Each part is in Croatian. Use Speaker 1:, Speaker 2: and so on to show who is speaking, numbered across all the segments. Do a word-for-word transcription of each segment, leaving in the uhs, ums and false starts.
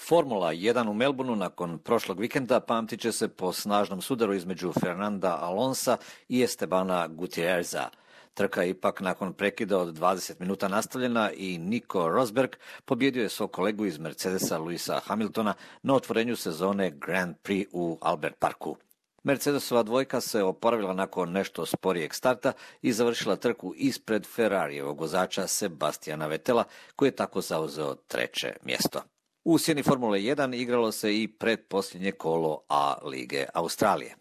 Speaker 1: Formula jedan u Melbourneu nakon prošlog vikenda pamtit će se po snažnom sudaru između Fernanda Alonsa i Estebana Gutierreza. Trka je ipak nakon prekida od dvadeset minuta nastavljena i Nico Rosberg pobjedio je svog kolegu iz Mercedesa Lewisa Hamiltona na otvorenju sezone Grand Prix u Albert Parku. Mercedesova dvojka se oporavila nakon nešto sporijeg starta i završila trku ispred Ferrarijevog vozača Sebastiana Vettela, koji je tako zauzeo treće mjesto. U sjeni Formule jedan igralo se i pretposljednje kolo A lige Australije.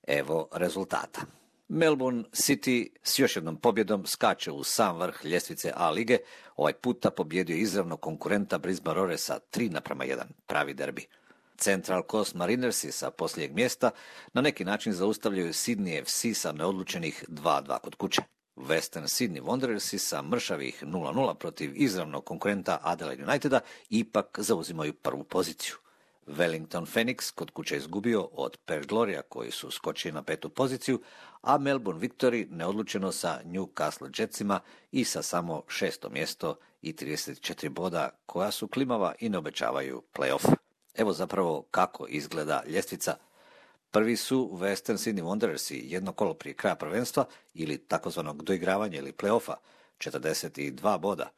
Speaker 1: Evo rezultata. Melbourne City s još jednom pobjedom skače u sam vrh ljestvice A lige, ovaj puta pobjedio izravno konkurenta Brisbane Roarsa tri naprama jedan, pravi derbi. Central Coast Marinersi sa posljednjeg mjesta na neki način zaustavljaju Sydney F C sa neodlučenih dva dva kod kuće. Western Sydney Wanderersi sa mršavih nula nula protiv izravnog konkurenta Adelaide Uniteda ipak zauzimaju prvu poziciju. Wellington Phoenix kod kuće izgubio od Perth Gloria koji su skočili na petu poziciju, a Melbourne Victory neodlučeno sa Newcastle Jetsima i sa samo šesto mjesto i trideset četiri boda koja su klimava i ne obećavaju play-off. Evo zapravo kako izgleda ljestvica. Prvi su Western Sydney Wanderersi jedno kolo prije kraja prvenstva ili takozvanog doigravanja ili play-offa, četrdeset dva boda.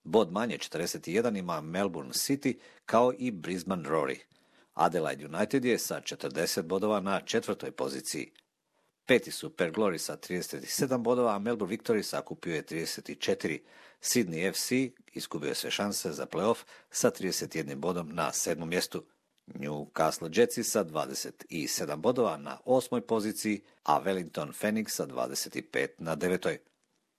Speaker 1: Bod manje četrdeset jedan ima Melbourne City kao i Brisbane Roar. Adelaide United je sa četrdeset bodova na četvrtoj poziciji. Peti su Perth Glory sa trideset sedam bodova, a Melbourne Victory sakupio je trideset četiri. Sydney F C izgubio je sve šanse za play-off sa trideset jednim bodom na sedmom mjestu. Newcastle Jetsi sa dvadeset sedam bodova na osmoj poziciji, a Wellington Phoenix sa dvadeset pet na devetoj.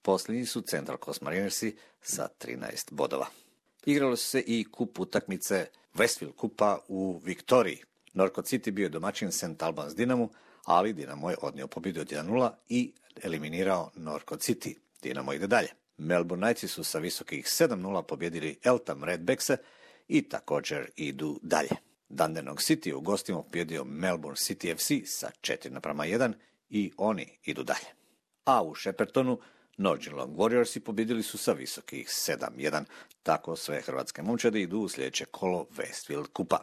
Speaker 1: Posljednji su Central Coast Marinersi sa trinaest bodova. Igralo su se i kup utakmice Westfield kupa u Viktoriji. Northcote City bio je domaćin Saint Albans Dinamu, ali Dinamo je odnio pobjedu od jedan nula i eliminirao Northcote City. Dinamo ide dalje. Melbourne Knightsi su sa visokih sedam nula pobjedili Eltham Redbackse i također idu dalje. Dandenong City u gostima pobjedio Melbourne City F C sa četiri naprama jedan i oni idu dalje. A u Sheppertonu North Geelong Warriorsi pobjedili su sa visokih sedam jedan, tako sve hrvatske momčade idu u sljedeće kolo Westfield kupa.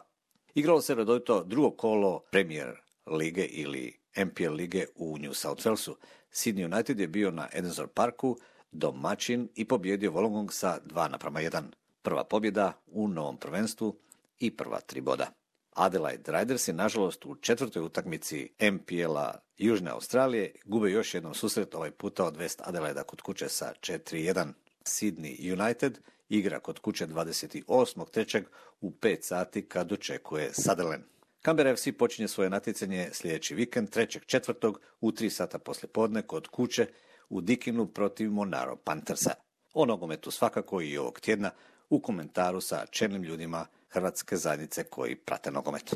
Speaker 1: Igralo se redovito drugo kolo Premier lige ili M P L lige u New South Walesu. Sydney United je bio na Edensor Parku domaćin i pobjedio Wollongong sa dva naprama jedan. Prva pobjeda u novom prvenstvu i prva tri boda. Adelaide Riders je nažalost u četvrtoj utakmici M P L-a Južne Australije gube još jednom susret, ovaj puta od West Adelaida kod kuće sa četiri jedan. Sydney United igra kod kuće dvadeset osmog trećeg u pet sati kad očekuje Sutherland. Canberra F C počinje svoje natjecanje sljedeći vikend trećeg četvrtog u tri sata poslijepodne kod kuće u Dickinu protiv Monaro Panthersa. O nogometu svakako i ovog tjedna u komentaru sa čelnim ljudima hrvatske zajednice koji prate nogomet.